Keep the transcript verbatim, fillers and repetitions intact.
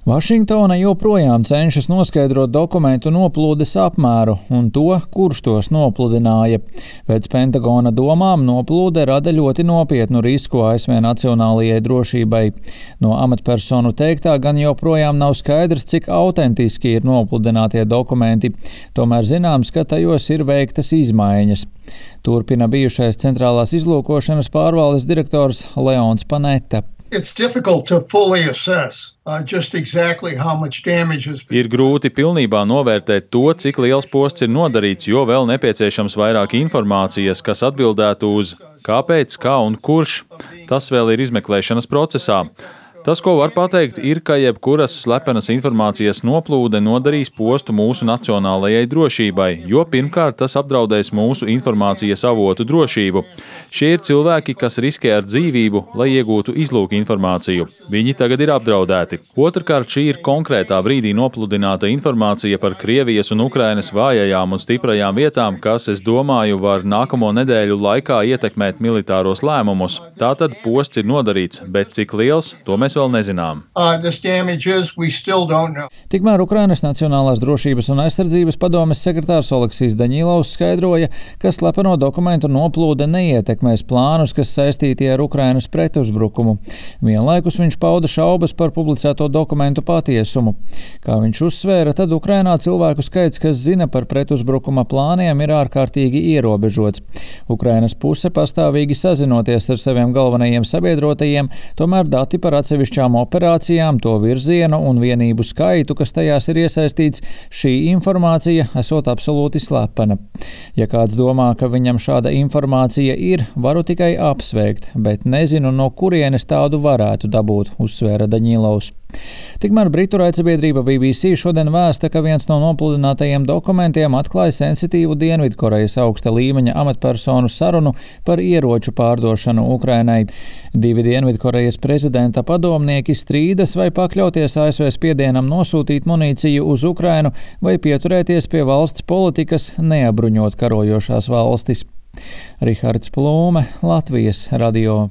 Vašingtona joprojām cenšas noskaidrot dokumentu noplūdes apmēru un to, kurš tos nopludināja. Pēc Pentagona domām noplūde rada ļoti nopietnu risku A S V nacionālajai drošībai. No amatpersonu teiktā gan joprojām nav skaidrs, cik autentiski ir nopludinātie dokumenti. Tomēr zināms, ka tajos ir veiktas izmaiņas. Turpina bijušais centrālās izlūkošanas pārvaldes direktors Leons Panetta. It's difficult to fully assess uh, just exactly how much damage has been. Ir grūti pilnībā novērtēt to, cik liels posts ir nodarīts, jo vēl nepieciešams vairāk informācijas, kas atbildētu uz kāpēc, kā un kurš. Tas vēl ir izmeklēšanas procesā. Tas, ko var pateikt, ir, ka jebkuras slepenas informācijas noplūde nodarīs postu mūsu nacionālajai drošībai, jo pirmkārt tas apdraudēs mūsu informācijas avotu drošību. Šie ir cilvēki, kas riskē ar dzīvību, lai iegūtu izlūku informāciju. Viņi tagad ir apdraudēti. Otrkārt, šī ir konkrētā brīdī nopludināta informācija par Krievijas un Ukrainas vājajām un stiprajām vietām, kas, es domāju, var nākamo nedēļu laikā ietekmēt militāros lēmumus. Tātad posts ir nodarīts, bet cik liels, to mēs vēl nezinām. Uh, this damage is, we still don't know. Tikmēr Ukrainas Nacionālās drošības un aizsardzības padomes sekretārs Oleksijs Daņilovs skaidroja, ka slepeno dokumentu noplūde neietekmēs plānus, kas saistīti ar Ukrainas pretuzbrukumu. Vienlaikus viņš pauda šaubas par publicēto dokumentu patiesumu. Kā viņš uzsvēra, tad Ukrainā cilvēku skaits, kas zina par pretuzbrukuma plāniem, ir ārkārtīgi ierobežots. Ukrainas puse pastāvīgi sazinoties ar saviem galvenajiem sabiedrotajiem, tomēr dati par atsevišķām operācijām, to virzienu un vienību skaitu, kas tajās ir iesaistīts, šī informācija esot absolūti slepena. Ja kāds domā, ka viņam šāda informācija ir, varu tikai apsveikt, bet nezinu, no kurienes tādu varētu dabūt, uzsvēra Daņilovs. Tikmēr Britu raidsabiedrība B B C šodien vēsta, ka viens no nopludinātajiem dokumentiem atklāja sensitīvu Dienvidkorejas augsta līmeņa amatpersonu sarunu par ieroču pārdošanu Ukrainai. Divi Dienvidkorejas prezidenta padomnieki strīdas, vai pakļauties A S V spiedienam nosūtīt munīciju uz Ukrainu vai pieturēties pie valsts politikas neabruņot karojošās valstis. Rihards Plūme, Latvijas radio.